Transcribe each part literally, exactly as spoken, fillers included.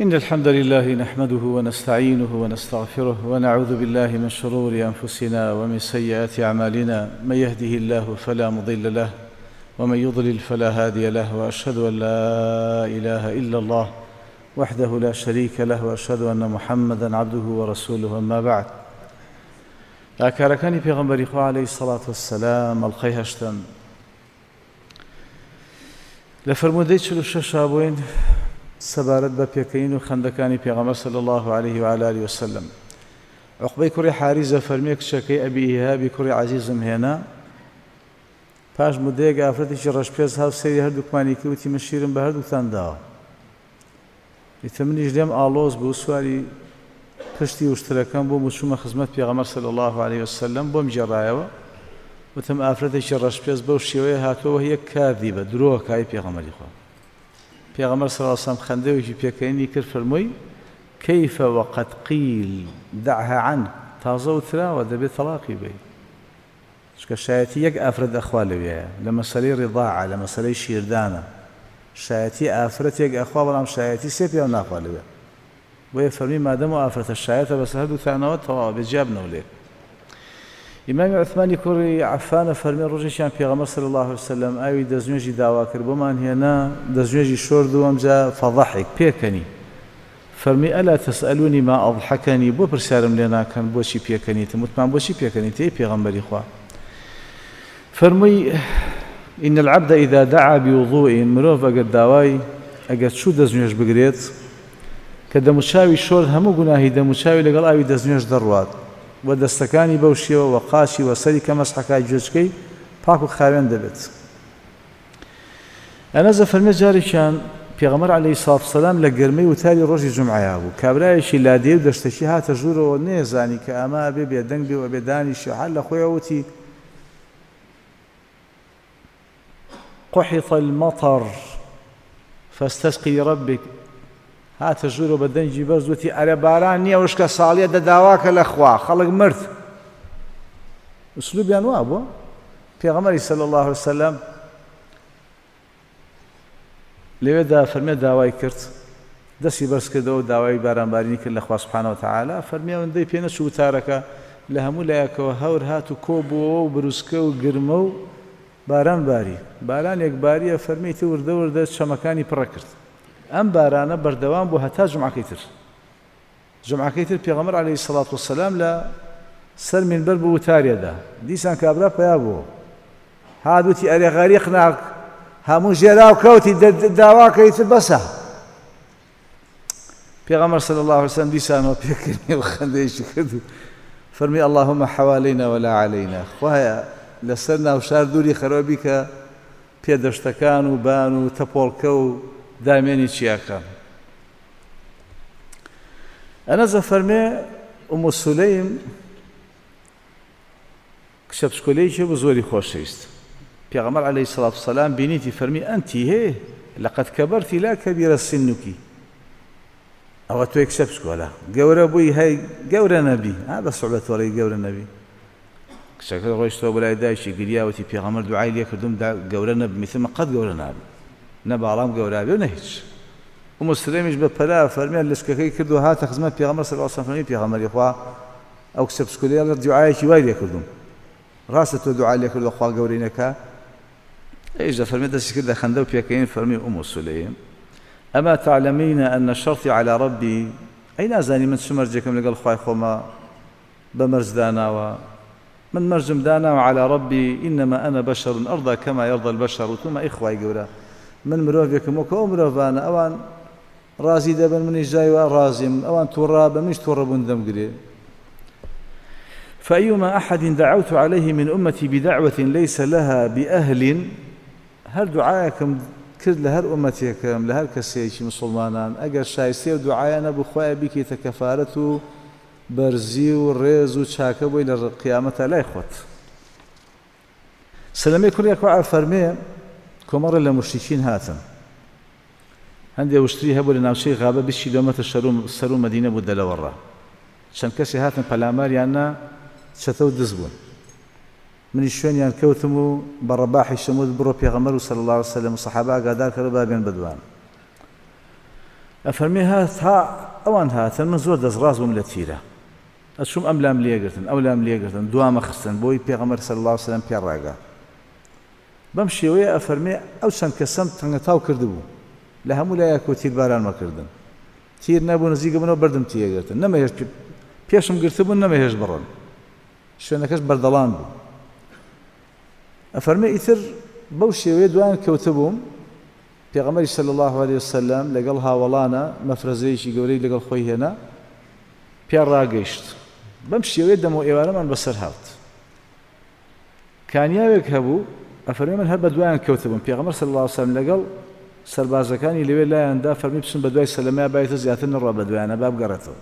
إن الحمد لله نحمده ونستعينه ونستغفره ونعوذ بالله من شرور أنفسنا ومن سيئات أعمالنا، من يهده الله فلا مضل له ومن يضلل فلا هادي له، وأشهد أن لا إله إلا الله وحده لا شريك له، وأشهد أن محمدا عبده ورسوله. أما بعد، ئاکارەکانی پێغەمبەری خوا عەلەیهی سەڵات وەسەلام ئەڵقەی هەشتەم لە فەرموودەی چل و شەشا بووین سەبارەت بە پێکەین و خەندەکانی پێغەمبەر صلی الله علیه و آله وسلم. عوقبەی کوڕی حاریزە فەرمیە کچەکەی ئەبی ئیهابی کوڕی عەزیزم هێنا. پاش مدەیەک ئافرەتێکی ڕەشپێست هاو سەیری هەردووکمانی کرد، وتی من شیرم بە هەردووکتان داوە. ئیتر منیش لێم ئاڵۆز بوو، سواری پشتی وشترەکەم بووم و چوومە خزمەت پێغەمبەر صلی الله علیه وسلم. بۆم گێڕایەوە، وتم ئافرەتێکی ڕەشپێست بەو شێوەیە هاتووە یەک کاردی بە درۆکای پێغەمبەری خوا. پێغەمبەر صلی الله علیه وسلم خەندەوێکی پێکەینی کرد، فەرمووی كيف وقد قيل دعها عنك، تازە وتراوە دەبێت تەلاقی بێ. چونکە شایەتی یەک ئافرەت ئەخوا لەوێیە لە مەسەلەی ڕیضاعە، لە مەسەلەی شیردانە. شایەتی ئافرەتێک ئەخوا، بەڵام شایەتی سێ پیاو ناخوا لەوێ. بۆیە فەرمی مادەم و ئافرەتە شایەتە بەسەر هەردووتانەوە تەواو بێ جیابنەوە لێک. ئیمامی عوثمانی کوڕی عەفانە فەرمی ڕۆژێکیان پێغەمبەر صلی الله علیه وسلم ئاوی دەستنوێژی داوا کرد، بۆمان هێنا، دەستنوێژی شۆرد و ئەمجا فەضحک پێکەنی. فەرمی ئەلا تەسئەلونی ما ئەضحەکەنی، بۆ پرسیارم لێ ناکەن بۆچی پێکەنیتم؟ وتمان بۆچی پێکەنیتی ئەی پێغەمبەری خوا؟ فەرمووی إن العبد إذا دعا بوضوء، مرۆڤ ئەگەر داوای ئەگەر چوو دەستنوێژ بگرێت کە دەموچاوی شۆرد، هەموو گوناهی دەموچاوی لەگەڵ ئاوی دەستنوێژ دەڕوات و دەستەکانی بەو شێوە و قاچی و سەری کە مەسحەکای گوێچکەی پاک و خاوێن دەبێت. ئەنەزە فەرمێ جارێکیان پێغەمبەر عەلەیهی سڵات وسەلام لە گەرمەی وتاری ڕۆژی جومعەیا بوو، کابرایەکی لادێ و دەشتەکی هاتە ژوورەوە، نێزانی کە ئەمە ئەبێ بێدەنگ بێ و ئەبێ دانیشی. هەر لە خۆیەوە وتی قحط المطر فاستسقي لربك. هاتە ژوورەوە بە دەنگی بەرز وتی ئەرێ باران نییە، وشکە ساڵیە دەداواکە لە خوا، خەڵک مرد. ئوسلوبیان وا بووە. پێغەمبەری صلی الله علیه وسلم لەوێدا فەرمێ داوای کرد، دەستی بەرز کردەوە داوای بارانبارینی کرد لە خوا سبحانه وتعالی. فەرمی ئەوەندەی پێ نەچوو وتارەکە لە هەموو لایەکەوە هەور هات و کۆ بووەوە و بروسکە و گرمە و باران باری. بارانێک باریە فەرمیتی وردە وردە چەمەکانی پڕە کرد. ئەم بارانە بەردەوام بوو هەتا جومعەکەی تر. جومعەکەی تر پێغەمبەر عەلەیهی سەڵات وەسەلام لە سەر مینبەر بوو وتاریەدا. دیسان کابرا پەیا بوو، هات وتی ئەرێ غەریق ناک، هەموو ژێراو کەوتی، داواکەی تر بەسە. پێغەمبەر صلی الله علیه وسلم دیسانەوە پێکردنی و خەندەیەکی کرد و فەرمی اللهم حوالينا ولا علينا، خوایە لەسەر ناوشار دووری خەرەوە کە پێدەشتەکان و بان و تەپۆڵکە و دامێنی چیاکان. ئەنەزە فەرمێ ئوم سولەیم کچە پشکۆلەیەکی بوو زۆری خۆشەویست. پێغەمبەر عەلەیهی سەڵات وسەلام بینیتی فەرمی ئەنتی هێ لەقەد کەبەرتی لا کەبیرە سنوکی، ئەوە تۆی کچە پشکۆلە گەورە بووی، هەی گەورە نەبی، ها بە سوعبەتۆڵەی گەورە نەبی. کچەکە ڕۆیشتەوە بۆ لای دایکی گریاوتی پێغەمبەر دوعای لێ کردم گەورە نەبم، ئیتر من قەت گەورە نابم، نە باڵام گەورە بێ و نە هیچ. ئوم سولەیمیش بە پەلا فەرمیان لەشکەکەی کرد و هاتە خزمەت پێغەمبەر صلی الله علیه وسلم. فەرمی پێغەمبەری خوا ئەو کچە پشکۆلەیە دوعایەکی وای لێ کردم، ڕاستە تۆ دوعای لێ کردووە خوا گەورەی نەکا؟ ئەیش دەفەرمێ دەستی کردە خەندە و پێکەین. فەرمی ئوم سولەیم ئەما تعلمین أن شرطی علی ربی، ئەی نازانی من چ مەرجێکم لەگەڵ خوای خۆمە بە مەرج داناوە؟ من مەرجم داناوە علی ربی إنما أنا بشر أرضى كما يرضى البشر. وتومە ئەی خوای گەورە من مرۆڤێکم وەکو ئەو مرۆڤانە، ئەوان ڕازی دەبن منیش جای وا ڕازیم، ئەوان تووڕە بە منیش تووڕە بوون دەمگرێ. فأيما أحد دعوت عليه من أمتي بدعوة ليس لها بأهل، هەر دوعایەکم کرد لە هەر ئومەتێکم لە هەر کەسێکی مسوڵمانان ئەگەر شایستەی و دوعایە نەبوو خوایە بیکەیتە کەفارەت و بەرزی و ڕێز و چاکە بۆی لە قیامەتە لای خۆت. سەلەمەی کوڕی ئەکوع فەرمێ کۆمەڕێ لە موشریکین هاتن، هەندێ وشتری هەبوو لە ناوچەی غابە بیست کیلۆمەتر سەر و مەدینە بوو دەلەوەڕا. چەند کەسێ هاتن پەلاماریان نا، چەتە و دز بوون. منی شوێنیان کەوتم و بە ڕەباحی شەموت بڕۆ پێغەمبەر و صلی الله علیه وسلم و سەحابە ئاگادار کردەوە با بێن بەدوان. ئەفەرمێ هات ها ئەوان هاتن من زۆر دەستڕاست بووم لە تیرە ئەچوم ئەم لام لێگرتن ئەو لام لێگرتن دوامە خستن بۆی پێغەمبەر صلی الله علیه وسلم پێ ڕاگا. بەم شێوەیە ئەفەرمێ ئەو چەند کەسەم تەنگەتاو کردبوو لە هەموو لایەک و تیربارانمە کردن تیر نەبوو نزیکە بنەوە بەردم تیەگرتن نەمەهێشت پێشم گرتبوون نەمەهێشت بڕن شوێنەکەش بەردەڵان بوو. ئەفەرمێ ئیتر بەو شێوەیە دوایان کەوتبووم پێغەمبەری صلی الله علیه وسلم لەگەڵ هاوەڵانە مەفرەزەیەکی گەورەی لەگەڵ خۆی هێنا پێ ڕاگەیشت. بەم شێوەیە دەمەوە ئێوارەمان بەسەر هات. کانیاوێک هەبوو ئەفەرمێ من هەر بە دوایان کەوتبووم پێغەمبەر صلی الله علیه وسلم لەگەڵ سەربازەکانی لەوێ لایاندا فەرمی بچن بە دوای سەلەمەیا بایتە زیاتر نەڕوا بە دوایانە با بگەڕێتەوە.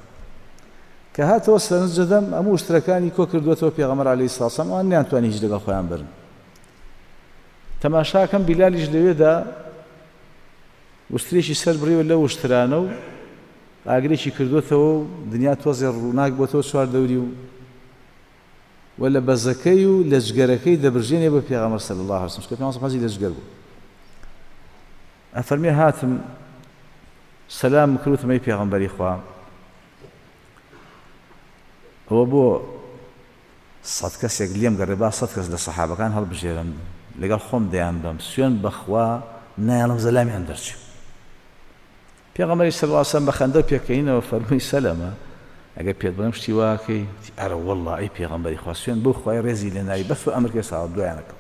کە هاتەوە سەرنج دەدەم هەموو وشترەکانی کۆ کردووەتەوە پێغەمبەر عەلەیهی سڵاو وسلام ئەوان نەیانتوانی هیچ لەگەڵ خۆیان بەرن. تەماشاکەم بیلالیش لەوێدا وشترێکی سەر بڕیوە لەو وشترانە و ئاگرێکی کردووەتەوە و دنیا تۆزێ ڕووناک بۆتەوە چوار دەوری و و لە بەزەکەی و لەجگەرەکەی دەبرژێنێ بۆ پێغەمبەر صلی الله علیه وسلم چونکە پێغەمبەر حەزی لەجگەر بوو. ئەفەرمێ هاتم سەلام کرد وتم ئەی پێغەمبەری خوا ئەوە بۆ سەد کەسێک لێم گەڕێ با سەد کەس لە سەحابەکان هەڵبژێرم لەگەڵ خۆم دەیان بەم سوێن بەخوا نایەڵم زەلامیان دەرچێ. پێغەمبەری صلی الله علیه وسلم بە خەندە پێکەینەوە فەرمووی سەلەمە ئەگەر پێت بڵێم شتی واکەی ئەرە وەڵڵا ئەی پێغەمبەری خوا سوێن بەو خوای ڕێزی لێ ناوی بەس و ئەمرکێ ساوە دوایانەکەم.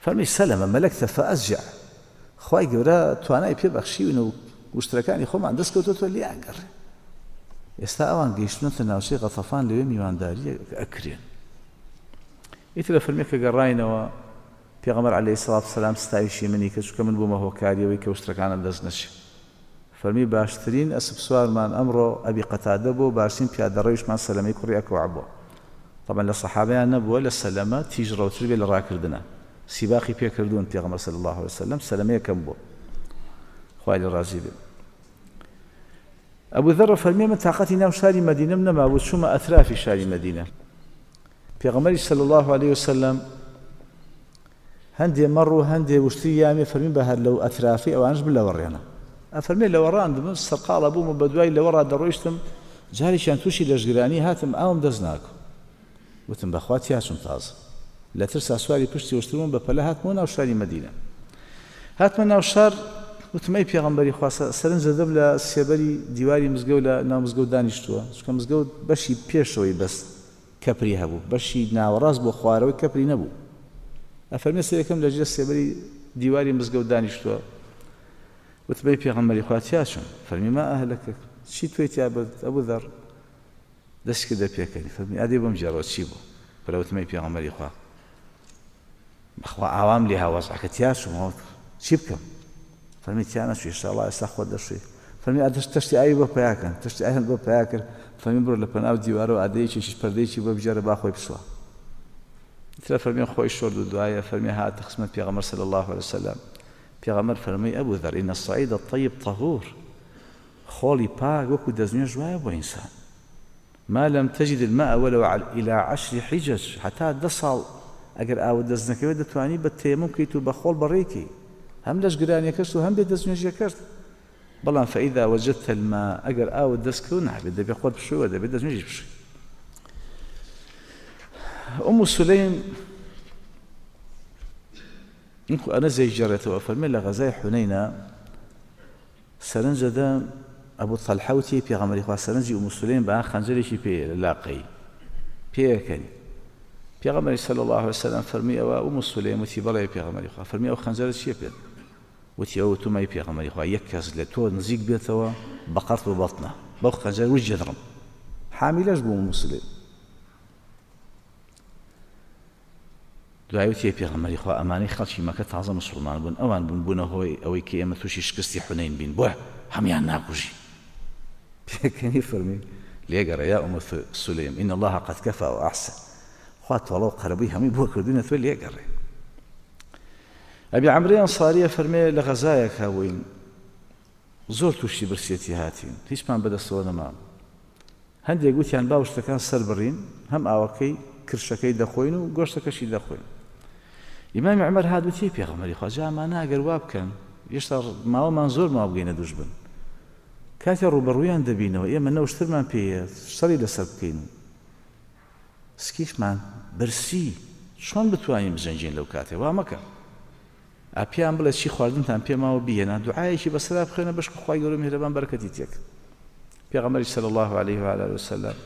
فەرمی سەلەمە مەلەکتە فەئەزجع خوای گەورە توانای پێ بەخشیون و وشترەکانی خۆمان دەست کەوتۆتەوە لێیان گەڕێ. ئێستا ئەوان گەیشتنەتە ناوچەی غەتەفان لەوێ میوانداری ئەکرێن. ئیتر لە فەرمێ کە گەڕاینەوە پێغەمبەر عەلەیهی سڵات وسەلام ستایشی منی کرد چونکە من بوومە هۆکاریەوەی کە وشترەکانم دەست نەچێ. فەرمی باشترین ئەسپ سوارمان ئەمڕۆ ئەبی قەتادە بوو باشترین پیادەڕەویشمان سەلەمەی کوڕی ئەکوع بووە. طبعا لە سەحابەیان نەبووە لە سەلەمە تیژڕەوتر بێ لە ڕاکردنە سیباقی پێکردوون پێغەمبەر صلی الله علیه وسلم سەلەمە یەکەم بووە خوای لێ ڕازی بێ. ئەبوو ذەڕ فەرمی من تاقەتی ناو شاری مەدینەم نەمابوو چوومە ئەترافی شاری مەدینە. پێغەمبەری صلی الله علیه وسلم هەندێ مەڕ و هەندێ وشتری یامێ فەرمی بە هەر لەو ئەترافی ئەوانش بلەوەڕێنە. ئەفەرمێ لەوەڕاندم من سەرقاڵە بووم و بەدوای لەوەڕا دەڕۆیشتم جارێکیان تووشی لەشگرانی هاتم ئاوم دەست ناکەم وتم بەخوا تیاچم تازە لە ترسا سواری پشتی وشتربووم بە پەلە هاتمەوە ناو شاری مەدینە. هاتمە ناو شار وتم ئەی پێغەمبەری خوا سەرنج دەدەم لە سێبەری دیواری مزگەوت لە ناو مزگەوت دانیشتووە چونکە مزگەوت بەشی پێشەوەی بەس کەپری هەبوو بەشی ناوەڕاست بۆ خوارەوەی کەپری نەبوو. ئەفەرمێ سەرەکەم لەژێر سێبەری دیواری مزگەوت دانیشتووە وتم ئەی پێغەمبەری خوا تیاچم فەرمی ما ئەهلەکە چی توی تیا برد ئەبوو ذەڕ دەست کردە پێکەنی فەرمی ئادەی بۆم گێڕەوە چی بوو پرەوتم ئەی پێغەمبەری خوا بەخوا ئاوام لێ هاوەزعەکە تیاچم چی بکەم فەرمی تیا نەچوو ئینشاڵڵا ئێستا خۆت دەشوی فەرمی ئادەش تەشتی ئاوی بۆ پەیاکەن تەشتی ئاویان بۆ پەیا کرد فەرمی بڕۆ لە پەناو دیوارەوە ئادەیەکێکیش پەردەیەکی بۆ بگێڕە با خۆی بشوە. ئیترە فەرمی خۆی شۆرد و دوایە فەرمی هاتە خزمەت پێغەمبەر صلی الله علیه وسلم. پێغەمبەر فەرمی ئەبوو ذەر إن الصعيد الطيب طهور خۆڵی پاک وەکو دەستنوێژ وایە بۆ ئینسان ما لم تجد الماء ولو إلى عشر حجج حتى دە ساڵ ئەگەر ئاوت دەست نەکەوێت دەتوانی بە تەیەموم بکەیت و بە خۆڵ بەڕێکی هەم لەشگرانیەکەشت و هەم بێ دەستنوێژیەکەشت. بەڵام فإذا وجدت الماء ئەگەر ئاوت دەست کەوت نابێت دەبێ خۆت بشوی و دەبێت دەستنوێژی بشوی. ئوم سولەیم وەکو ئەنەس گێڕێتەوە فەرمێ لە غەزای حونەینە سەرنج دەدەم ئەبوو تەلحە وتی پێغەمبەری خوا سەرنجی ئوم سولەیم بە خەنجەرێکی پێیە لە لاقەی پێیەکەنی. پێغەمبەری صلی الله علیه وسلم فەرمی ئەوە ئوم سولەیم وتی بەڵێ پێغەمبەری خوا فەرمی ئەو خەنجەرە چییە پێت وتی ئەوە وتومەی پێغەمبەری خوا یەک کەس لە تۆ نزیک بێتەوە بە قەرت و بەڵتنە بەو خەنجەر وش جێدڕم. حامیلەش بوو ئوم سولەیم. دوای وتی پێغەمبەری خوا ئەمانەی خەڵکی مەکە تازە مسوڵمان بوون ئەوان بوون بوونە هۆی ئەوەی کە ئێمە تووشی شکستی حونەین بین بۆ هەمیان ناکوژی. پێکەنی فەرمی لێگەڕێ یا ئوم سولەیم إن الله قد كفى وأحسن خوا تۆڵە و قەرەبووی هەمووی بۆ کردوونە تۆ لێگەڕێ. ئەبی عەمری ئەنساریە فەرمێ لە غەزایەک هەبووین زۆر تووشی برسێتی هاتین هیچمان بەدەستەوە نەما هەندێک گوتیان با وشتەکان سەر بڕین هەم ئاوەکەی کرشەکەی دەخۆین و گۆشتەکەشی دەخۆین. ئیمامی عومەر هات وتی پێغەمبەری خوا جا ئەمانە ئەگەر وا بکەن هێشتا ماوەمان زۆر ماوە بگەینە دوژمن. کاتێ ڕووبەڕوویان دەبینەوە ئێمە نەوشترمان پێیە شەڕی لەسەر بکەین، سکیشمان برسی، چۆن بتوانین بجەنگین لەو کاتێ؟ وا مەکە. ئاپیان بڵێ چی خواردنتان پێماوە بیهێنا، دوعایەکی بەسەرا بخوێنە بەشک خوای گەورە میهرەبان بەرەکەتی تێک. پێغەمبەری صلی الله علیه و آله وسلم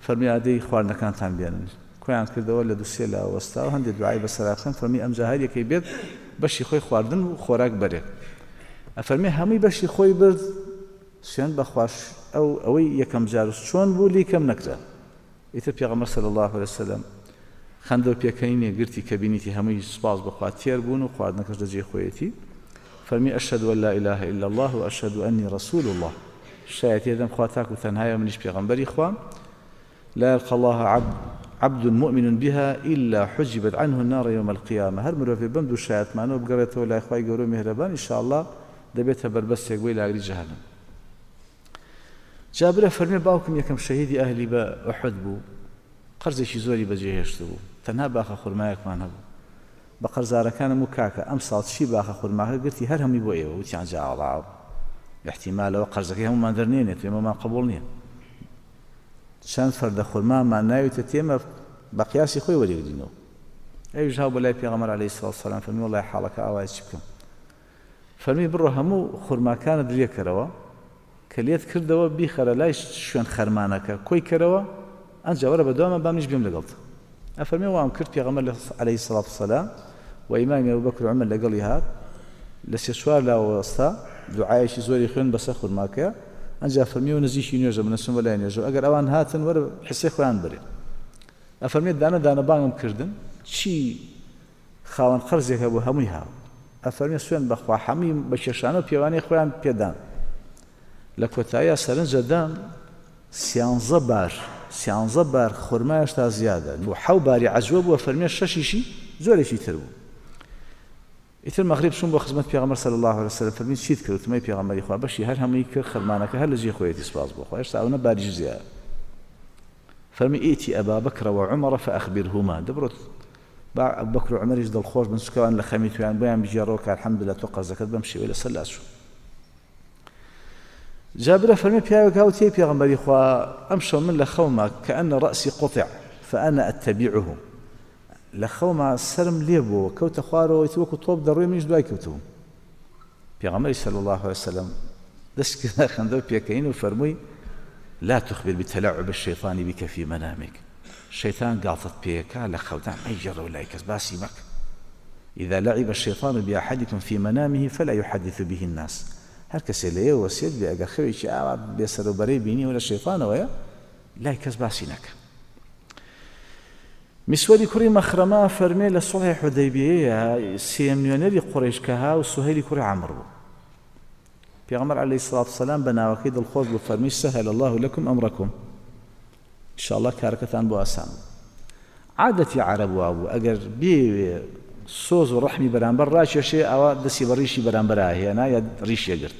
فەرمی ئادەی خواردنەکانتان بێنن. کۆیان کردەوە لە دوو سێ لا وەستا و هەندێک دوعای بەسەرا بخوێن. فەرمی ئەمجا هەر یەکەی بێت بەشی خۆی خواردن و خۆراک بەرێت. ئەفەرمی هەمووی بەشی خۆی برد، سوێن بەخواش ئەو ئەوەی یەکەم جار چۆن بوو لێی کەم نەکرا. ئیتر پێغەمبەر صلی الله علیه وسلم خەندە و پێکەنینێ گرتی کە بینیتی هەمووی سوپاس بەخوا تێر بوون و خواردنەکەش لە جێی خۆیەتی. فەرمی ئەشهد أن لا إله إلا الله وأشهد أني رسول الله، شایەتی دەم خوا تاک و تەنهایە منیش پێغەمبەری خوام. لا يلقى الله عبد عبد مؤمن بها إلا حجبت عنه النار يوم القيامة. هەر مرۆڤێ بەم دوو شایەتمانەوە بگەڕێتەوە لای خوای گەورە و میهرەبان ئینشاءالله دەبێتە بەربەستێک بۆی لە ئاگری جەهەنەم. جابرە فەرمی باوکم یەکەم شەهیدی ئەهلی بە ئوحد بوو، قەرزێکی زۆری بەجێهێشت بوو، تەنها باخە خورمایەکمان هەبوو. بە قەرزارەکانم و کاکە ئەم ساڵ چی باخە خورماکە گرتی هەر هەمووی بۆ ئێوە. وتیان جاڵاو احتیمالەوە قەرزەکەی هەموومان دەرنێنێت، ئێمەمان قبوڵ نییە. چەند فەردە خورمامان ناویتە تێمە بە قیاسی خۆی وەریگرینەوە. ئەویش هاو بە لای پێغەمبەر عەلەیهی سڵاو وسەلام فەرمی وەڵڵاهی حاڵەکە ئاوایە چی بکەم؟ فەرمی بڕۆ هەموو خورماکانت لێکەرەوە کە لێت کردەوە بیخەرە لای شوێن خەرمانەکە کۆی کەرەوە، ئەنجا وەرە بەدوامە با منیش بێم لەگەڵت. ئەفەرمی وام کرد. پێغەمبەر عەلەیهی سڵاو وسەلام و ئیمامی ئەبوبەکر و عومەر لەگەڵی هات، لە سێ چوار لاوە وەستا، دوعایەکی زۆری خوێن بەسەر خورماکەیە. ئەنجا فەرمی و نزیکی نوێژە من ئەچم بە لای نوێژە، ئەگەر ئەوان هاتن وەرە حسێ خۆیان بەرێ. ئەفەرمێت دانە دانە بانگم کردن، چی خاوەن قەرزێک هەبوو هەمووی هاو. ئەفەرمێ سوێن بەخوا هەمووی بە کێشانە و پێوانەی خۆیان پێدان. لە کۆتاییە سەرنجە دام سیانزە بار سیانزە بار خورما هێشتا زیادە و حەو باری عەجوە بووە. فەرمێ شەشیشی زۆرێکی تر بوو. ئیتر مەغریب چوون بۆ خزمەت پێغەمبەر صلی الله علیه وسلم. فەرمی چیت کرد؟ وتمەی پێغەمبەری خوا بەشی هەر هەمووی کرد، خەرمانەکە هەر لە جێی خۆیەتی سوپاس بۆ خوا، هێشتا ئەوەنە باریش زیادە. فەرمی ئیتی ئەبا بەکر وعومەر فأخبرهما، دەبڕۆت با ئەبوبەکر و عومەریش دڵخۆش بن چونکەوان لە خەمی تویان بۆیان بگێڕەوە کە الحەمدلله تۆ قەرزەکەت بەم شێوەیە لەسەر لاچوو. جابرە فەرمی پیاوێک هاوتیەی پێغەمبەری خوا ئەمشەو من لە خەوما کەئەنە ڕەئسی قوتع فأنا أتبعه، لە خەوما سەرم لێ بووە کەوتە خوارەوە وەکو تۆپ دەڕوێ منیش دوای کەوتبووم. پێغەمبەری صلی الله عليه وسلم دەست کردە خەندە و پێکەین و فەرمووی لا تخبر بتلاعب الشيطان بك في منامك، شەیطان گاڵتەت پێکا لە خەوتان مەیگێڕەوە لای کەس باسی مەکە. إذا لعب الشيطان بأحدكم في منامه فلا يحدث به الناس، هەر کەسێ لە ئێوە وەسیەت بێ ئەگەر خەوێکی ئاوا بێسەرەوبەرەی بینیوە لە شەیطانەوەیە لای کەس باسی نەکە. مسوەری کوڕی مەخرەمە فەرمێ لە سوڵحی حودەیبیەیە سێیەم نوێنەری قوڕەیش کە ها و سوهەیلی کوڕی عەمر بوو. پێغەمبەر عەلەیهی سڵات وسەلام بە ناوەکەی دڵخۆش بوو، فەرمی سەهل الله لەکم ئەمرەکم، ئینشاءالله کارەکەتان بۆ ئاسان بوو. عادەتی عەرەب وابوو ئەگەر بێوێ سۆز و ڕەحمی بەرامبەر ڕاکێشێ ئەوە دەستی بە ڕیشی بەرامبەر ئاهێنا یا ڕیشیە گرت.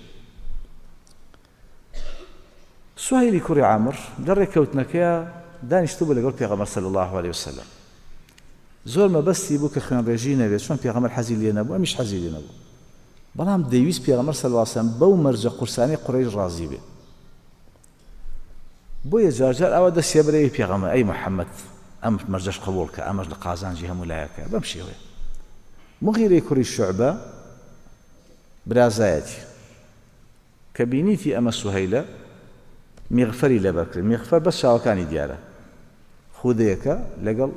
سوهەیلی کوڕی عەمر لە ڕێککەوتنەکەیە دانیشتوو بوو لەگەڵ پێغەمبەر صلی الله علیه وسلم. زۆر مەبەستی بوو کە خوێنڕێژی نەبێت، چۆن پێغەمبەر حەزی لێ نەبوو ئەمیش حەزی لێ نەبوو، بەڵام دەیویست پێغەمبەر صلی الله علیه وسلم بەو مەرجە قورسانەی قوڕەیش ڕازی بێ. بۆیە جارجار ئەوە دەستێ بەرەوەی پێغەمبەر ئەی محەممەد ئەم مەرجەش قبوڵ کە، ئەمەش لە قازانجی هەموو لایەکە. بەم شێوەیە مغیرەی کوڕی شوعبە برازایەتی کە بینیتی ئەمە سوهەیلە میغفەری لەبەر کرد. میغفەر بەس چاوەکانی دیارە، خودەیەکە لەگەڵ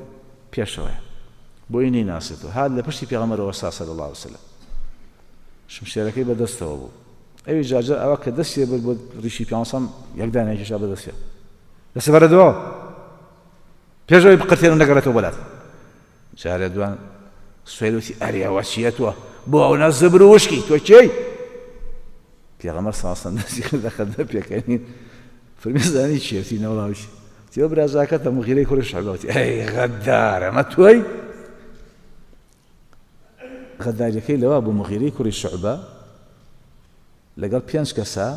پێشەوەیە بۆی نەیناسێتەوە. هات لە پشتی پێغەمبەرەوە وەستا صلی الله علیه وسلم، شمشێرەکەی بەدەستەوە بوو. ئەوی جارجار ئەوە کە دەستی برد بۆ ڕیشی پێغەمبەر یەکدانێکیشا بەدەستێ دەستی بەرە دووە پێشەوەی بقرتێن و نەگەڕێتەوە بۆ لات. جارێ دوان سوهەیل وتی ئەرێ ئەوە چییە تۆ بۆ ئەو نە زبر و وشکی تۆ کێی؟ پێغەمبەر صلی الله علیه وسلم دەستی کردە خەندە پێکەنین. فەرمی زانی چییە؟ وتی نەوەڵاویش. وتی ئەو برازاکەتە مغیرەی کوڕی شعبە. وتی ئەی غەدار ئەمە تۆی؟ غەداریەکەی لەوا بوو مغیرەی کوڕی شعبە لەگەڵ پێنج کەسە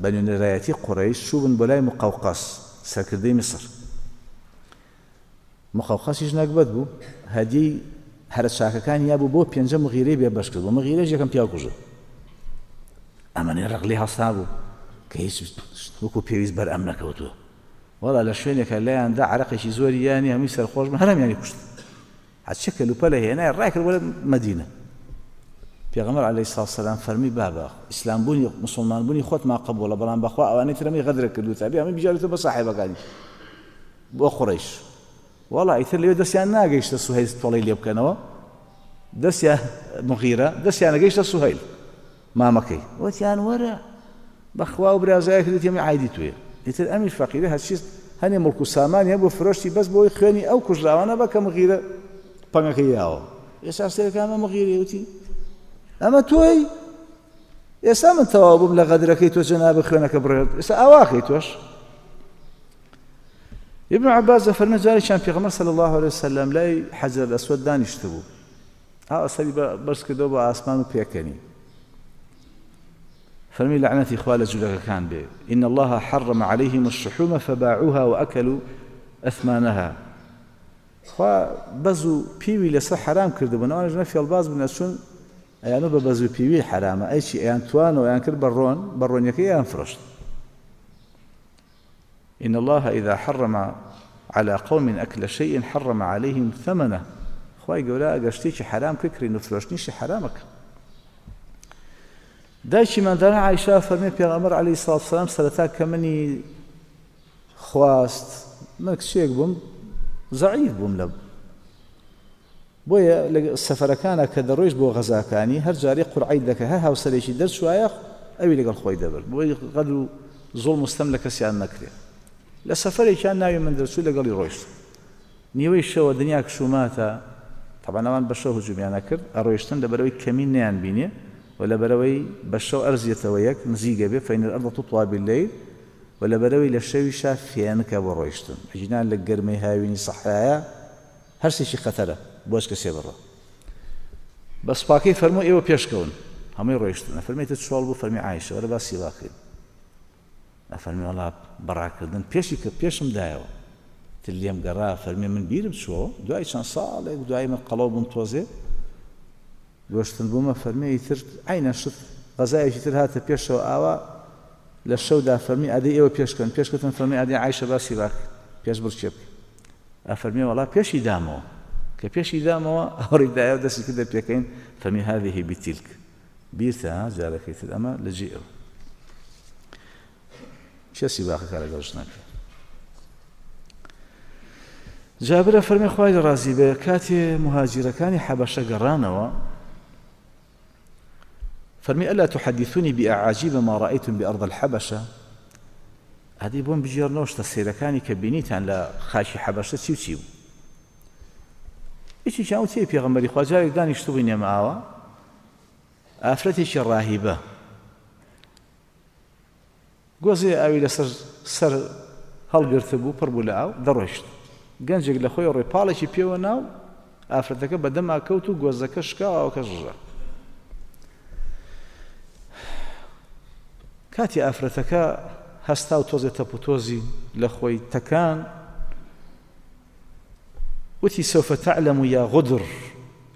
بە نوێنەرایەتی قوڕەیش چووبن بۆ لای مقەوقەس سەرکردەی میسر. مقەوقەسیش نەگبەت بوو، هەدیەی هەرە چاکەکانی یابوو بۆ پێنجە مغیرەی بێبەش کرد بوو. مغیرەش یەکەم پیاو کوژە. ئەمەنێ ڕق لێ هەستا بوو کە هیچ وەکو پێویست بەر ئەم نەکەوتووە. وەڵا لە شوێنێکە لایاندا عەرەقێکی زۆری یانی هەمووی سەرخۆش بوون، هەرەمیانی کوشت. هەرچی کەلوپە لە هێنای ڕای کرد بۆ لە مەدینە. پێغەمبەر عەلەیهی سڵاو وسەلام فەرمی بابا ئیسلام بوونی مسلمان بوونی خۆت ما قبوڵە، بەڵام بەخوا ئەوانەی ترەمی غەدرە کردووە تا بێ هەمووی بجارێتەوە بە ساحێبەکانی بۆ قوڕەیش. وەڵا ئیتر لەوێ دەستیان ناگەیشتە سوهەیل تۆڵەی لێ بکەنەوە، دەستیان مغیرە دەستیان نەگەیشتە سوهەیل مامەکەی، وتیان وەرە بەخوا و برازایە کردیت ئەمە عایدی توێ. ئیتر ئەمیش فەقیرە هەرچی هەنێ مڵک و سامانی هەبوو فرۆشتی بەس بۆی خوێنی ئەو کوژراوانە بە کە مغیرە پەنگەکەی یاوە. ئێستا سەیرەکە ئەمە مغیرە، وتی ئەمە تۆی، ئێستا من تەواو بووم لە غەدرەکەی تۆ جەنابە خوێنەکە بڕێت، ئێستا ئاواکەی تۆش. ابن عباس فەرمێ جارێکیان پێغەمبەر صلی الله عليه وسلم لای حەجەر ئەسوەد دانیشتبوو، ئاوا سەری بەرز کردەوە بۆ ئاسمان و پێکەنی، فەرمی لەعنەتی خوا لە جولەکەکان بێ، إن الله حرم عليهم الشحوم فباعوها وأكلوا أثمانها. خوا بەز و پیوی لەسەر حرام کردبوون، ئەوانش نە فێڵباز بوون ئەچوون ئەیانو بە بەز و پیوی حرامە، ئەی چی ئەیان توانەوە ئەیان کرد بە ڕۆن، بە ڕۆنیەکەی ئەیان فرۆشت. إن الله إذا حرم على قوم أكل شيء حرم عليهم ثمنه. خواي گەورە ئەگەر شتێکی حرام کردین و فرۆشتنیشی حرامەکە. دایکی منداڵە عایشە فەرمی پێغەمبەر عەلەیهی سڵاو وسەلام سەرەتا کە منی خواست، من کچێک بووم زەعیف بووم لە بۆیە لە سەفەرەکانە کە دەڕۆیشت بۆ غەزاکانی هەر جارێ قورعەی دەکە، هەر هاوسەرێکی دەرچوایە ئەوی لەگەڵ خۆی دەبرد، بۆی غەدر و زوڵم و ستەم لە کەسیان نەکرێ. لە سەفەرێکیان ناوی من دەرچوو لەگەڵی ڕۆیشت. نیوەی شەوە دنیا کشوماتە، طبعا ئەوان بە شەو هجومیانە کرد، ئەڕۆیشتن لەبەرەوەی کەمین نەیان بینێ و لەبەرەوەی بە شەو ئەرزیەتەوە یەک نزیکە بێ، فإن الأرض تطوى بالليل، و لەبەرەوەی لە شەویشا فێنکە بۆ ڕۆیشتن. ئەگینان لە گەرمەی هاوینی سەحرایە هەرسێکی خەتەرە بۆش کەسێ بڕۆ. بە سوپاکەی فەرموو ئێوە پێشکەون، هەمووی ڕۆیشتن. ئەفەرمێتە چۆڵ بوو، فەرمی عایشە وەرە باسی واکەین. ئەفەرمی وەڵا بەڕاکردن پێشی کە پێشم دایەوە تر لێم گەڕا، فەرمی من بیرم چووە دوای چەند ساڵێک دوای من قەڵەو بووم تۆزێ گۆشتن بوومە، فەرمی ئیتر عینە شت غەزایەکی تر هاتە پێشەوە ئاوا لە شەودا فەرمی ئادەی ئێوە پێشکەن، پێشکەوتن فەرمی ئادەی عایشە باسی باک پێش بڕچێ بکە. ئەفەرمی وەڵا پێشی دامەوە، کە پێشی دامەوە ئەوڕی دایەوە دەستی کردە پێکەین، فەرمی هذه بتلك بیرتە جارەکەی تر ئەمە لە جێ ئەو چێ سیباقەکە لەگەڵ ژنەکە. جابرە فەرمی خوای لە ڕازی بێ کاتێ مهاجرەکانی حەبەشە گەڕانەوە فەرمی ئەلا تحدثوني بأعاجيب ما رأيتم بأرض الحبشة. هذه بۆم بگێڕنەوە شتە سەیرەکانی کە بینیتان لە خاکی حەبەشە چی و چی بوو. یەکێکیان وتی پێغەمبەری خوا جارێک دانیشتبووین ئێمە ئاوا، ئافرەتێکی ڕاهیبە گۆزێ ئاوی لەسەر سەر هەڵگرتبوو، پڕ بوو لە ئاو، دەڕۆیشت. گەنجێک لە خۆی ڕۆی پاڵێکی پێوە ناو، ئافرەتەکە بەدەما کەوت و گۆزەکە شکا و ئاوەکە ڕژا. کاتی ئافرەتەکە هەستا و تۆزێ تەپ و تۆزی لە خۆی تەکان، وتی سوف تعلم يا غدر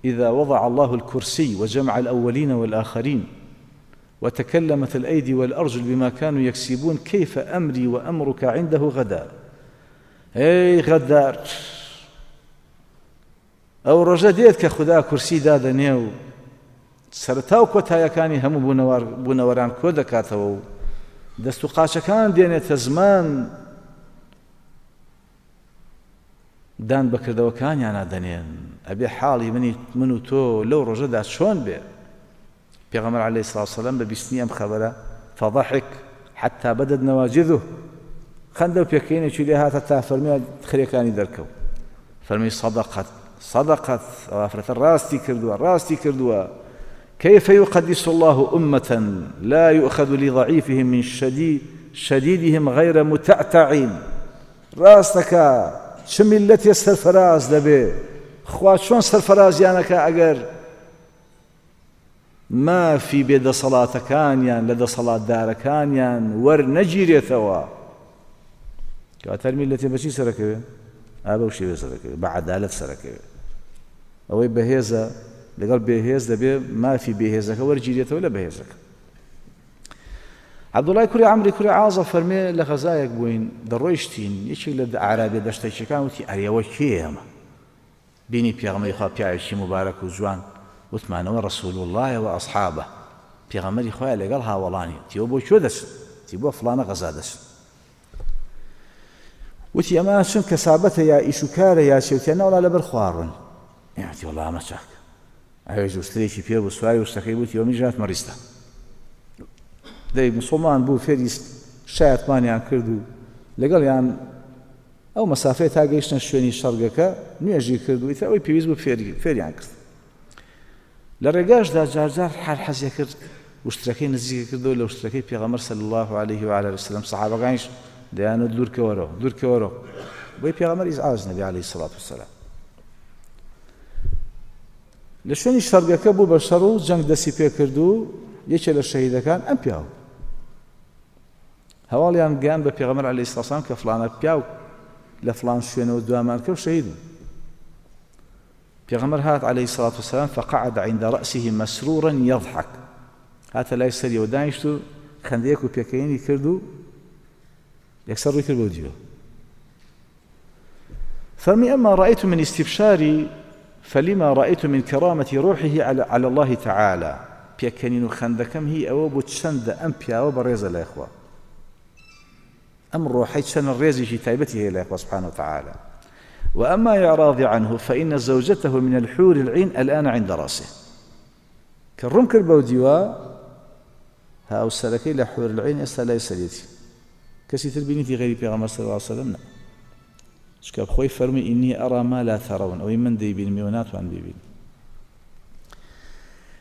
إذا وضع الله الكرسي وجمع الأولين والآخرين وتكلمت الأيدي والأرجل بما كانوا يكسبون كيف أمري وأمرك عنده غدا. ئەی غەدار، ئەو ڕۆژە دێت کە خودا کورسی دادەنێ و سەرەتا و کۆتایەکانی هەموو بوونەوەران کۆ دەکاتەوە و دەست و قاچەکان دێنێتە زمان، دان بەکردەوەکانیانە دەنێن. ئەبێ حاڵی منی من و تۆ لەو ڕۆژەدا چۆن بێ؟ پێغەمبەر عەلەیهی سڵاو وسەلام بە بیستنی ئەم خەبەرە فضحك حتى بدت نواجذه، خەندە و پێکەینێکی لێ هاتە تا فەرمی خرێکانی دەرکەوت. فەرمی صدقت صدقت، ئەو ئافرەتە ڕاستی کردووە ڕاستی کردووە. كيف يقدس الله أمة لا يؤخذ لضعيفهم من شديد شديدهم غير متعتعين. ڕاستەکە چ میللەتێ سەرفەراز دەبێ؟ خوا چۆن سەرفەرازیانەکە ئەگەر مافی بێدەسەڵاتەکانیان لە دەسەڵاتدارەکانیان وەرنەگیرێتەوە؟ کاتەر میللەتێ بەچی سەرەکەوێ؟ ئا بەو شێوێ سەرەکەوێ، بە عەدالەت سەرەکەوێ. ئەوەی بەهێزە لەگەڵ بێهێز دەبێ مافی بێهێزەکە وەرگیرێتەوە لە بەهێزەکە. عەبدوڵای کوڕی عەمری کوڕی عازە فەرمێ لە غەزایەک بووین دەڕۆیشتین یەکێک لە عەرابیە دەشتەکیەکان وتی ئەرێوە کێیە ئەمە؟ بینی پێغەمبەری خوا پیاوێکی موبارەک و جوان، وتمانەوە ڕەسوول اللە و ئەصحابە، پێغەمبەری خوایە لەگەڵ هاوەڵانی. وتی بۆ کوێ دەچن؟ وتی بۆ فڵانە غەزا دەچن. وتی ئەمە چون کەسابەتە یا ئیش و کارە یا چێوتیان نەوەڵا لەبەر خواڕن. وتی وەڵا ئەمە چاک. ئەوێش وشترێکی پێ بوو سواری وشتەکەی بووتی ئەوە منیش هاتمە ڕیستە. دەی مسوڵمان بوو فێری شایەتمانیان کرد و لەگەڵیان ئەو مەسافەیە تا گەیشتنە شوێنی شەڕگەکە نوێژی کرد و ئیتر ئەوەی پێویست بوو فێریان کرد. لە ڕێگاشدا جارجار هەر حەزی کرد وشترەکەی نزیکە کردەوە لە وشترەکەی پێغەمبەر صلی الله علیه و آله وسلم. سەحابەکانیش دەیانوت دوورکەوەرەوە دوورکەوەرەوە بۆی پێغەمبەر ئیزعاج نەبی عەلەیهی سڵات وسەلام. لە شوێنی شەڕگەکە بوو بە شەڕ و جەنگ دەستی پێکرد و یەکێ لە شەهیدەکان ئەم پیاو هەواڵیان گەیان بە پێغەمبەر عەلەیهی سڵات وسەلام کە فڵانە پیاو لە فڵان شوێنەوە دوامان کەو شەهید بوو. پێغەمبەر هات عەلەیهی سڵات وسەلام فقعد عند رأسه مسرورا يضحك، هاتە لای سەریەوە دانیشت و خەندەیەک و پێکەینی کرد و یەکسەر ڕووی کرد بۆ دیوە. فەرمی ئەما رأيت من استبشاري فلما رأيت من كرامة روحه على, على الله تعالى. پێکەنین و خەندەکەم هی ئەوە بوو چەندە ئەم پیاوە بەڕێزە لای خوا، ئەم ڕۆحەی چەند ڕێزێکی تایبەتی هەیە لای خوا سبحانه وتعالى. وأما إعراضي عنه فإن زوجته من الحور العين الآن عند رأسه. كالروم كربو ديوا هاو سلكي لحور العين ئێستا لای سەرێتی، کەسی تر بینیتی غەیری پێغەمبەر صلی الله علیه وسلم نا. چونکە خۆی فەرمی إني أرى ما لا ترون، ئەوەی من دەیبینم ئێوە ناتوان بیبین.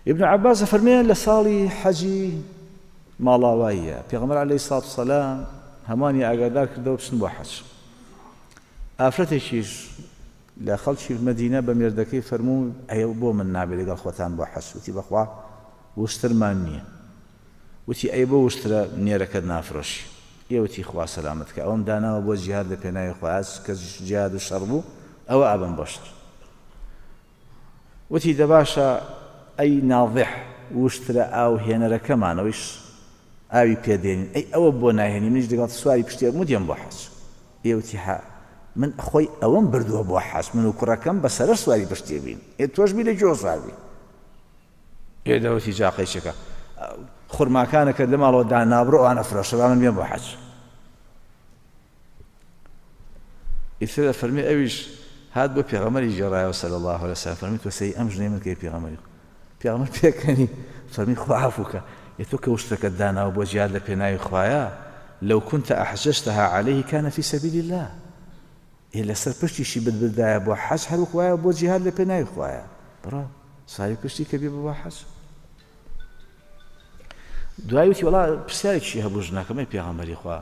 ابن عباس فەرمێ لە ساڵی حەجی ماڵاواییە پێغەمبەر عەلەیهی سڵات وسەلام هەمووانی ئاگادار کردەوە بچن بۆ حەج. ئافرەتێکیش لە خەڵکی مەدینە بە مێردەکەی فەرموو ئەیە بۆ من نابێ لەگەڵ خۆتان بۆ حەج. وتی بەخوا وشترمان نییە. وتی ئەی بۆ وشترە نێرەکەت نافرۆشی؟ ئێوتی خوا سەلامەت کە ئەوەم داناوە بۆ جیهاد لە پێناوی خوا، کە جیهاد و شەڕ بوو ئەوە ئابم بۆ شەڕ. وتی دەباشە ئەی ناضح وشترە ئاو هێنەرەکەمانەوەیش ئاوی پێدێنین، ئەی ئەوە بۆ ناهێنی منیش لەگەڵ سواری پشتێک مودیم بۆ حەج. ئێوتی ها من خۆی ئەوەم بردووە بۆ حەج، من و کوڕەکەم بەسەرە سواری پشتێ بین، ئێ تۆش بی لە گوێ سوار بی. ئێ دەوتی جاقەیچەکە خورماکانەکە لە ماڵەوە دانابڕۆ ئەوانە فرۆشە با من بێم بۆ حەج. ئیتر فەرمی ئەویش هات بۆ پێغەمبەری گێڕایەوە صلی الله علیه وسلم، فەرمی تۆ سەی ئەم ژنەی من کەی پێغەمبەری. پێغەمبەر پێکەنی فەرمی خوا عەفو کە، ئێ تۆ کە وشتەکەت داناوە بۆ جیهاد لە پێناوی خوایە، لو كنت أحججتها عليه كان في سبيل الله. ئێ لەسەر پشتیشی بدبردایە بۆ حەج هەر وەک وایە بۆ جیهاد لە پێناوی خوایە، بڕا ساری پشتی کە بێ بۆ حەج. دوای وتی وەڵا پرسیارێکی هەبوو ژنەکەمەی پێغەمبەری خوا،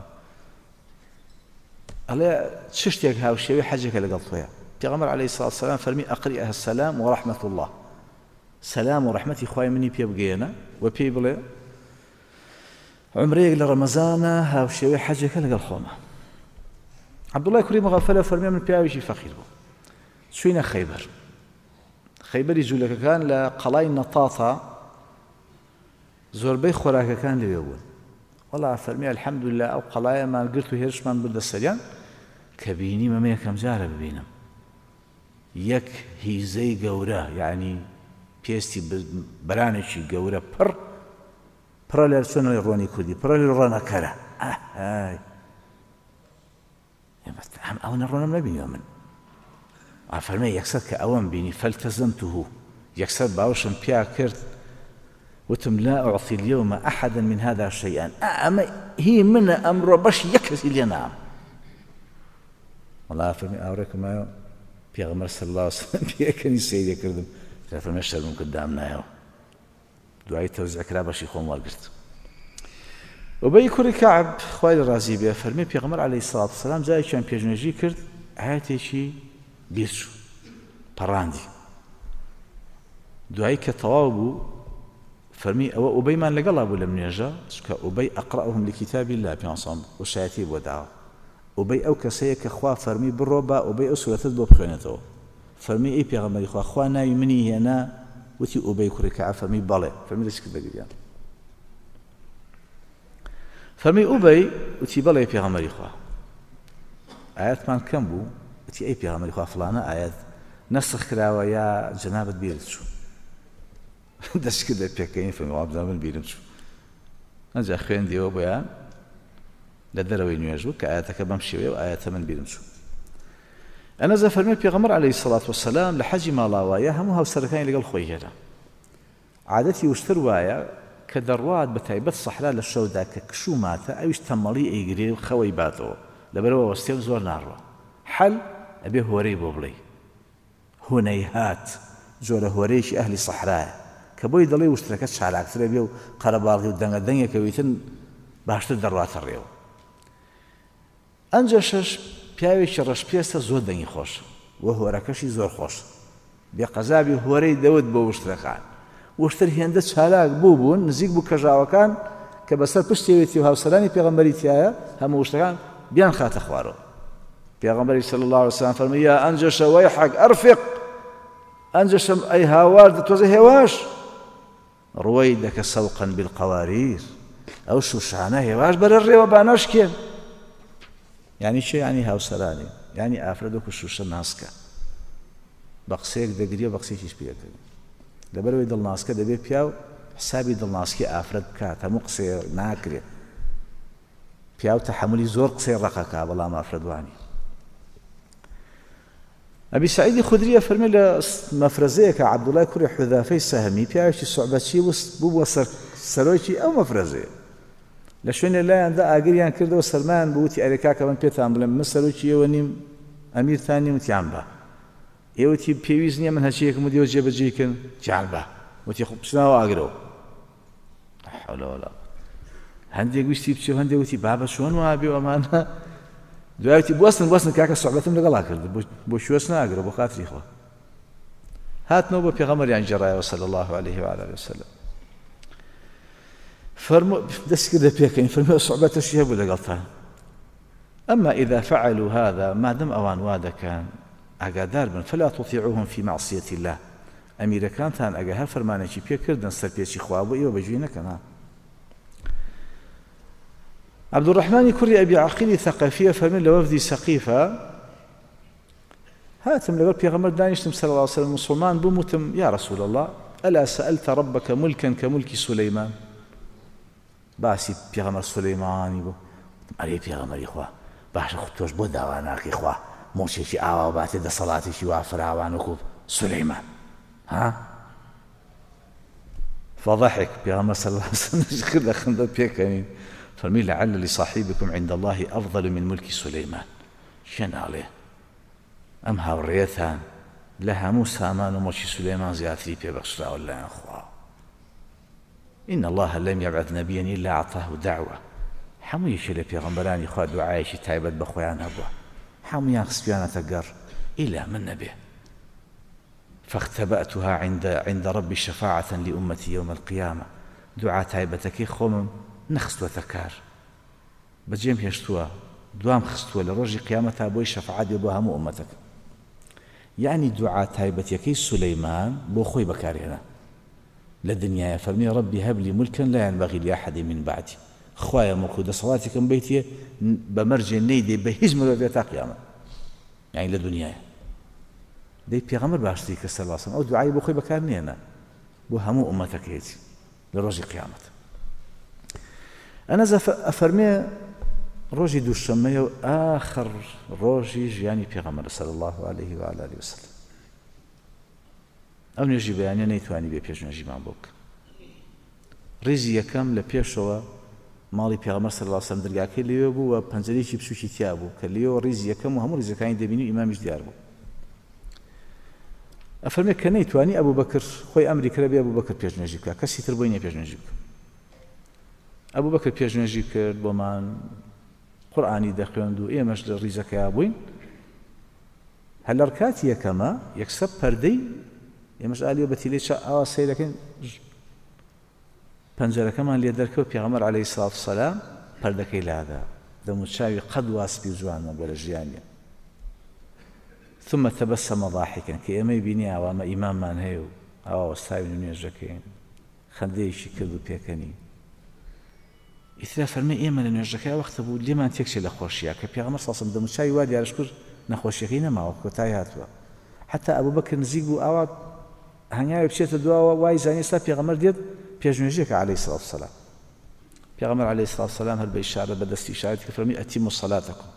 ئەڵێ چ شتێک هاوشێوەی حەجێکە لەگەڵ تۆیە؟ پێغەمبەر عەلەیهی سڵات وسەلام فەرمی ئەقریئها السلام وڕەحمەة الله، سەلام و ڕەحمەتی خوای منی پێ بگەیەنە و پێی بڵێ عومرەیەک لە ڕەمەزانە هاوشێوەی حەجێکە لەگەڵ خۆمە. عەبدوڵای کوڕی مغەفەلە فەرمی من پیاوێکی فەقیر بوو، چووینە خەیبەر. خەیبەری جوولەکەکان لە قەڵای نەتاتا زۆربەی خۆراکەکان لەوێ بوون. وەڵا فەرمی الحەمدلله ئەو قەڵایەمان گرت و هێرشمان بردە سەریان کە بینیم ئەمە یەکەم جارە ببینم یەک هیزەی گەورە، یعنی پێستی بەرانێکی گەورە پڕ پڕە لە چۆنەوەی ڕۆنی کوردی، پڕە لە ڕۆنەکەرە. ئای ئەو نەڕۆنم نەبینیوە من. ئافەرمێ یەکسەر کە ئەوەم بینی فەلتەزەمته، یەکسەر باوەشم پیا کرد وتم لا أعطي اليوم أحدا من هذا شيئا، ئەمە هی منە ئەمڕۆ بەش یەک کەسی لێ نام. وەڵا فەرمی ئاوڕێکم مایەوە پێغەمبەر صلی الله علیه وسلم پێکەنی سەیری کردم، فەرمی شەرمم کرد دامنایەوە. دوایی تەوزیع کرا بەشی خۆم وەرگرت. ئوبەی کوڕی کەعب خوای لە ڕازی بێ فەرمی پێغەمبەر عەلەیهی سڵات وسەلام جارێکیان پێشنوێژی کرد ئایەتێکی بیرچوو پەڕاندی. دوایی کە تەواو بوو فەرمی ئەوە ئوبەیمان لەگەڵا بوو لەم نوێژە، چونکە ئوبەی ئەقرأهم لکتاب الله پێ وشایەتی بۆ داوە. ئوبەی ئەو کەسەیە کە خوا فەرمی بڕۆ با ئوبەی ئەو سوورەتت بۆ بخوێنێتەوە. فەرمی ئەی پێغەمبەری خوا خوا ناوی منی هێنا، وتی ئوبەی کوڕی کەعب، فەرمی بەڵێ. فەرمی دەستی کرد بە گریان. فەرمی ئوبەی وتی بەڵێ پێغەمبەری خوا ئاەتمان کەم بوو وتی ئەی پێغەمبەری خوا فڵانە ئاەت نەسخ کراوە یا جەنابت بیرت چوو دەست کردە پێکەین فەرمی وابزانم من بیرم چوو ئەنجا خوێندیەوە بۆیان لە دەرەوەی نوێژ بوو کە ئاەتەکە بەم شێوەیە و ئاەتە من بیرم چوو. ئەنەزە فەرمی پێغەمبەر عەلەیهی سەڵات وەسەلام لە حەجی ماڵاوایە هەموو هاوسەرەکانی لەگەڵ خۆی هێنا. عادەتی وشتر وایە کە دەڕوات بە تایبەت سەحرا لە شەودا کە کشوو ماتە ئەویش تەمەڵی ئەیگرێ و خەوەی باتەوە لەبەرەوە وەستێ و زۆر ناڕوە. حەل ئەبێ هۆرەی بۆ بڵێ هونەیهات جۆرە هۆرەیەکی ئەهلی سەحرایە کە بۆی دەڵێ وشترەکە چالاکترە بێ و قەرەباڵغی و دەنگە دەنگێکەویتن باشتر دەڕواتە ڕێوە. ئەنجە شەش پیاوێکی ڕەشپێستە زۆر دەنگی خۆش و هۆرەکەشی زۆر خۆش بێ قەزابی هۆرەی دەوت بۆ وشترەکان. وشتر هێندە چالاک بوو بوون نزیک بوو کەژاوەکان کە بەسەر پشتێوێتی و هاوسەرانی پێغەمبەری تایە هەموو وشتەکان بیان خاتە خوارەوە. پێغەمبەری صلی الله علیه وسلم فەرمی یا ئەنجەشە وەیحەک ئەرفق ئەنجەشەم ئەی هاوار تۆزە هێواش ڕوەیدەکە سەوقا بالقواریر ئەو شوشانە هێواش بەرە ڕێوە با نەشکێن. یعنی چێ؟ یعنی هاوسەرانی یعنی ئافرەت وەکو شوشە ناسکە بە قسەیەک دەگری و بە قسەیەکیش پێدەکەنی. لەبەرەوەی دڵناسکە دەبێ پیاو حسابی دڵناسکی ئافرەت بکات هەموو قسەیە ناکرێت. پیاو تەحەمولی زۆر قسەی ڕەقەکا بەڵام ئافرەت وانی. ئەبی سعیدی خودریە فەرمی لە مەفرەزەیەکە عەبدوڵای کوڕی حوذافەی سەهمی پیاوێکی سوعبەچی بوو بووە سەرۆکی ئەو مەفرەزەیە. لە شوێنێ لایاندا ئاگریان کردەوە سەرمایان بوو وتی ئەرێ کاکە من پێتان بڵێم من سەرۆکی ئێوە نیم ئەمیرتان نیم وتیان بە ئێوەتی پێویست نییە من هەرچییەکم و دێوە جێبەجێی کەن تیان بە وتی خۆ بچناوە ئاگرەوە. لا حول ولا قوة. هەندێک ویستی بچێ و هەندێک وتی بابە چۆن وابێ ئەمانە دوای وتی بوەستن بوەستن کاکە سوعبەتم لەگەڵا کرد بۆ شوێس ناگرە بۆ خاتری خوا. هاتنەوە بۆ پێغەمبەریان گێڕایەوە صلی الله علیه وعلى آله وسلم. فەرمو دەست کردە پێکەین فەرموو سوعبەتەشی هەبوو لەگەڵتان. أما إذا فعلوا هذا ما دام ئەوان وا دەکەن ئاگادار بن فلا تطيعوهم في معصية الله. ئەمیرەکانتان ئەگەر هەر فەرمانێکی پێکردن سەرپێچی خوا بۆ ئێوە بەگوێ نەکەن. عەبدوڕەحمانی کوڕی ئەبی عەقیلی ثەقەفیە فەرمی لە وەفدی سەقیفە هاتم لەگەڵ پێغەمبەر دانیشتم صلی الله علیه وسلم مسلمان بووم وتم یا رسول الله ألا سألت ربك ملكا كملك سليمان. باسی پێغەمبەر سولەیمانی بوو ئەرێ پێغەمبەری خوا باشە خۆ تۆش بۆ داوا ناکەی خوا مۆچێکی ئاوا باتێ دەسەڵاتێکی وا فراوان وەکو سولەیمان ها؟ فضحك پێغەمبەر صلی الله علیه وسلم کردە خندە پێکەنین فەرمی لعل لصاحبكم عند الله أفضل من ملك سليمان. چێ ناڵێ ئەم هاوڕێتان لە هەموو سامان و مۆچی سولەیمان زیاتری پێبەخشراوە لەلایەن خوا. إن الله لم يبعث نبيا إلا أعطاه دعوة. هەموو یەکێ لە پێغەمبەرانی خوا دوعایەکی تایبەت بە خۆیان هەبووە هەموویان خستویانەتە گەڕ ئیلا من نەبێ. فاختبأتها عند عند ربي شفاعة لأمتي يوم القيامة. دوعا تایبەتەکەی خۆمم نەخستووەتە کار بەجێم هێشتووە دوام خستووە لە ڕۆژی قیامەتا بۆی شەفاعەت بێ بۆ هەموو ئومەتەکە. یعنی دوعا تایبەتیەکەی سولەیمان بۆ خۆی بەکارهێنا لە دنیاە. فەرمی ربي هب لي ملكا لا ينبغي لأحد من بعدي. خوایە مڵک و دەسەڵاتێکم بیتێ بە مەرجێ نەیدێ بە هیچ مرۆڤێ تا قیامەت. یعنی لە دنیاە دەی پێغەمبەر باشتری کە صلی الله علیه وسلم ئەو دوعای بۆ خۆی بەکار نێنا بۆ هەموو ئومەتەکەیەتی لە ڕۆژی قیامەت. ئەنەزە ئەفەرمێ ڕۆژی دووشەممەیە و ئاخر ڕۆژی ژیانی پێغەمبەر صلی الله علیه و آله وسلم. ئەو نوێژی بەیانیە نەیتوانی بێ پێش نوێژیمان بۆ بکە. ڕیزی یەکەم لە پێشەوە ماڵی پێغەمبەر صلی الله علیه وسلم دەرگاکەی لەوێ بوو و پەنجەرێکی بچووکی تیا بوو کە لێوە ڕیزی یەکەم و هەموو ڕیزەکانی دەبینی و ئیمامیش دیار بوو. ئەفەرمێ کە نەیتوانی ئەبوو بەکر خۆی ئەمری کرد بێ ئەبوو بەکر پێش نوێژی بکە کەسی تر بۆی نییە پێش نوێژی بکە. ئەبوو بەکر پێش نوێژی کرد بۆمان قورئانی دەخوێند و ئێمەش لە ڕیزەکەیا بووین. هەر لە ڕکاتی یەکەمە یەکسەر پەردەی ئێمەش ئالیە بە تیلەی ئاوا سەیرەکەین پەنجەرەکەمان لێ دەرکەوت پێغەمبەر عەلەیهی سڵات وسەلام پەردەکەی لادا دەموچاوی قەد وا سپی و جوان نەبوو لە ژیانیان. ثم تبسم ضاحكا کە ئێمەی بینی ئاوامە ئیماممان هەیە و ئاوا وەستاوین و نوێژەکەین خەندەیەکی کرد و پێکەنی. ئیترا فەرمێ ئێمە لە نوێژەکەی وەختە بوو لێمان تێکچێ لە خۆشیە کە پێغەمبەر صلی الله علیه و سلم دەموچاوی وا دیارش کرد نەخۆشیەکەی نەماوە کۆتایی هاتووە. حتی ئەبوبەکر نزیک بوو ئاوا هەنگاوی بچێتە دواوە وای زانی ئێستا پێغەمبەر دێت پێشنوێژێکە عەلەیهی سڵاو وسەلام. پێغەمبەر عەلەیهی سڵاو وسەلام هەر بە ئیشارە بە دەستی ئیشارەت کرد فەرمی ئەتیموا سەلاتەکم،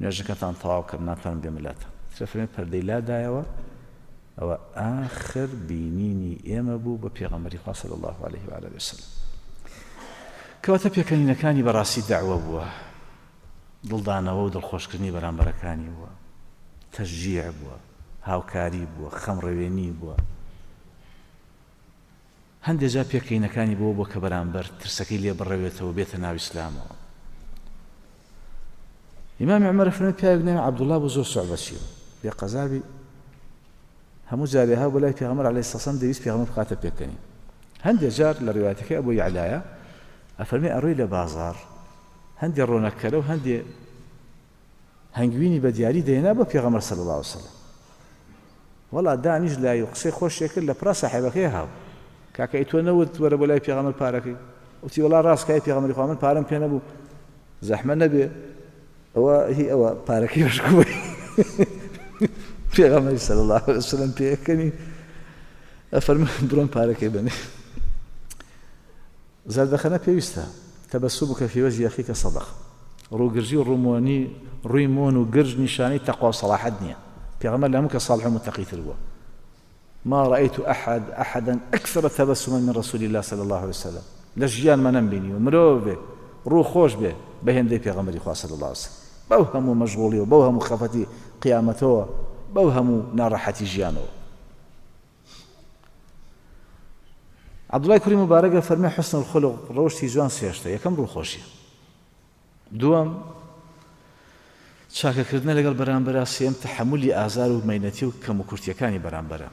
نوێژەکەتان تەواو کەم ناتوانم بێمە لاتان. ئیترا فەرمی پەردەی لادایەوە. ئەوە ئاخر بینینی ئێمە بوو بە پێغەمبەری خوا صلی الله علیه و آله وسلم. کەواتە پێکەنینەکانی بەڕاستی دەعوە بووە، دڵدانەوە و دڵخۆشکردنی بەرامبەرەکانی بووە، تەشجیع بووە، هاوکاری بووە، خەمڕەوێنی بووە. هەندێک جار پێکەینەکانی بووە بۆ کە بەرامبەر ترسەکەی لێ بڕەوێتەوە بێتە ناو ئیسلامەوە. ئیمام عومەر فەرمی پیاوێک ناوی عەبدوڵڵا بوو زۆر سوعبەچی بوو، بێ قەزابی هەموو جارێ ها بۆ لای پێغەمبەر عەلەیهی سەلام دەویست پێغەمبەر بخاتە پێکەنین. هەندێک جار لە ڕیوایەتەکەی ئەبوو یەعلایە ئەفەرمێ ئەڕۆی لە بازاڕ هەندێ ڕۆنەکەرە و هەندێ هەنگوینی بە دیاری دەهێنا بۆ پێغەمبەر صلی الله علیه وسلم. وەڵا دانیش لای و قسەی خۆشێ کرد لە پڕا ساحێبەکەی هاو کاکە ئەی تۆ نەوت وەرە بۆ لای پێغەمبەر پارەکەی؟ وتی وەڵا ڕاستکای پێغەمبەری خوا من پارەم پێ نەبوو، زەحمە نەبێ ئەوە هی ئەوە پارەکەی بەشکووە. پێغەمبەری صلی الله علیه وسلم پێکەنی ئەفەرموو بڕۆن پارەکەی بنێ. زەردەخەنە پێویستە، تەبەسومک فی وجه ئەخیک صدقە. ڕووگرژی و ڕوومۆنی ڕووی مۆن و گرژ نیشانەی تەقوا و سەڵاحەت نییە. پێغەمبەر لە هەموو کەس صالح و متەقیتر بووە. ما رأيت أحد أحدا أكثر تبسما من رسول الله صلى الله عليه وسلم. لە ژیانما نەمبینیوە مرۆڤێ ڕوو خۆش بێ بە هێندەی پێغەمبەری خوا صلی الله عليه وسلم. بەو هەموو مەشغوڵی و بەو هەموو خەفەتی قیامەتەوە، بەو هەموو ناڕەحەتی ژیانەوە. عەبدوڵای کوڕی موبارەکە فەرمی حسن الخلق ڕەوشتی جوان سێشتە. یەکەم ڕووخۆشیە، دووەم چاکەکردنە لەگەڵ بەرامبەرا، سێم تەحەمولی ئازار و مەینەتی و کەم و کورتیەکانی بەرامبەرە.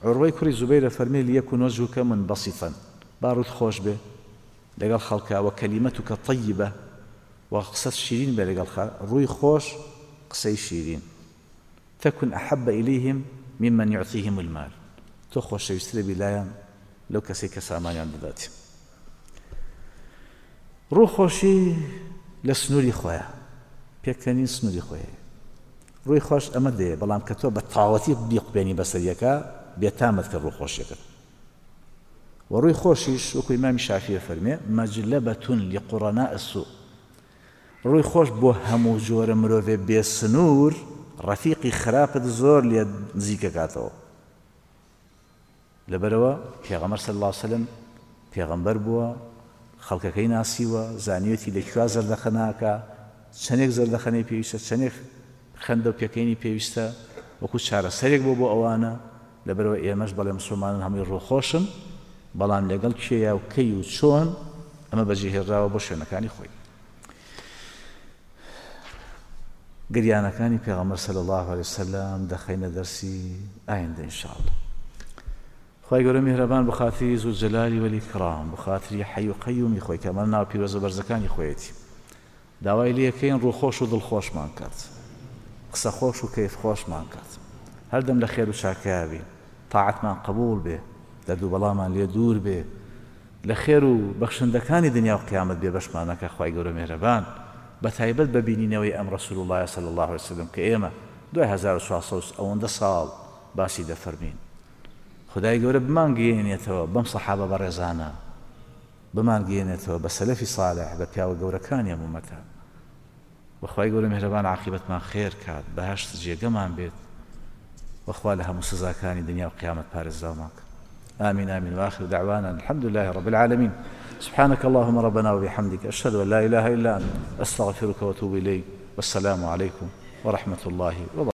عوروەی کوڕی زوبەیرە فەرمی لیەکون وەجهک منبسطا، با ڕووت خۆش بێ لەگەڵ خەڵکا، وە کەلیمەتک طیبە، وە قسەت شیرین بێ لەگەڵ خەڵک، ڕووی خۆش قسەی شیرین. تكن أحب إليهم ممن يعطيهم المال، تۆ خۆشەویسترە بیلایان لەو کەسەی کە سامانیان دەدات. ڕوو خۆشی لە سنووری خۆیە، پێکەنین سنووری خۆیە. ڕووی خۆش ئەمە دەیە، بەڵام کە تۆ بە تەواوەتی بیقبێنی بەسەریەکە بێتامەت کرد ڕوو خۆشیەکەت. و ڕووی خۆشیش وەکو ئیمامی شافیە فەرمێ مەجلەبەتون لقرناء السوء، ڕووی خۆش بۆ هەموو جۆرە مرۆڤێ بێسنوور ڕەفیقی خراپت زۆر لێ نزیکەکاتەوە. لەبەرەوە پێغەمبەر صلی الله علیه وسلم پێغەمبەر بووە، خەڵکەکەی ناسیوە، زانیەتی لەکوێ زەردەخەناکە، چەندێک زەردەخەنەی پێویستە، چەندێک خەندە و پێکەینی پێویستە، وەکو چارەسەرێک بۆ بۆ ئەوانە. لەبەرەوە ئێمەش بەڵێ مسلمانان هەمووی ڕووخۆشن، بەڵام لەگەڵ کێیە و کەی و چۆن ئەمە بەجێهێنراوە بۆ شوێنەکانی خۆی. گریانەکانی پێغەمبەر صلی الله علیه وسلم دەخەینە دەرسی ئایندە ئینشاءالله. خوای گەورە میهرەبان بە خاتری زولجەلالی وەلیکرام، بە خاتری حەی و قەیومی خۆی کە ئەمە ناو پیرۆزە بەرزەکانی خۆیەتی، داوای لێکەین ڕووخۆش و دڵخۆشمان کات، قسە خۆش و کەیف خۆشمان کات، هەردەم لە خێر و چاکەیا بین، تاعەتمان قبوڵ بێ، دەرد و بەڵامان لێ دوور بێ، لە خێر و بەخشندەکانی دنیا و قیامەت بێ بەشمانەکە. خوای گەورە میهرەبان بە تایبەت بە بینینەوەی ئەم رسول الله صلی الله علیه وسلم کە ئێمە دوای هەزار و چوارسەد ئەوەندە ساڵ باسی دەفەرمین، خدای گەورە بمانگەیەنێتەوە بەم سەحابە بەڕێزانە، بمانگەیەنێتەوە بە سەلەفی صالح، بە پیاوە گەورەکانی ئەم ئومەتە. وەخوای گەورە میهرەبان عاقیبەتمان خێر کات، بەهەشت جێگەمان بێت، وەخوا لە هەموو سزاکانی دنیا و قیامەت پارێزراومان کات. آمين آمين. وآخر دعوانا الحمد لله رب العالمين. سبحانك اللهم ربنا وبحمدك، أشهد أن لا إله إلا أنت، أستغفرك وأتوب إليك، والسلام عليكم ورحمة الله وبركاته.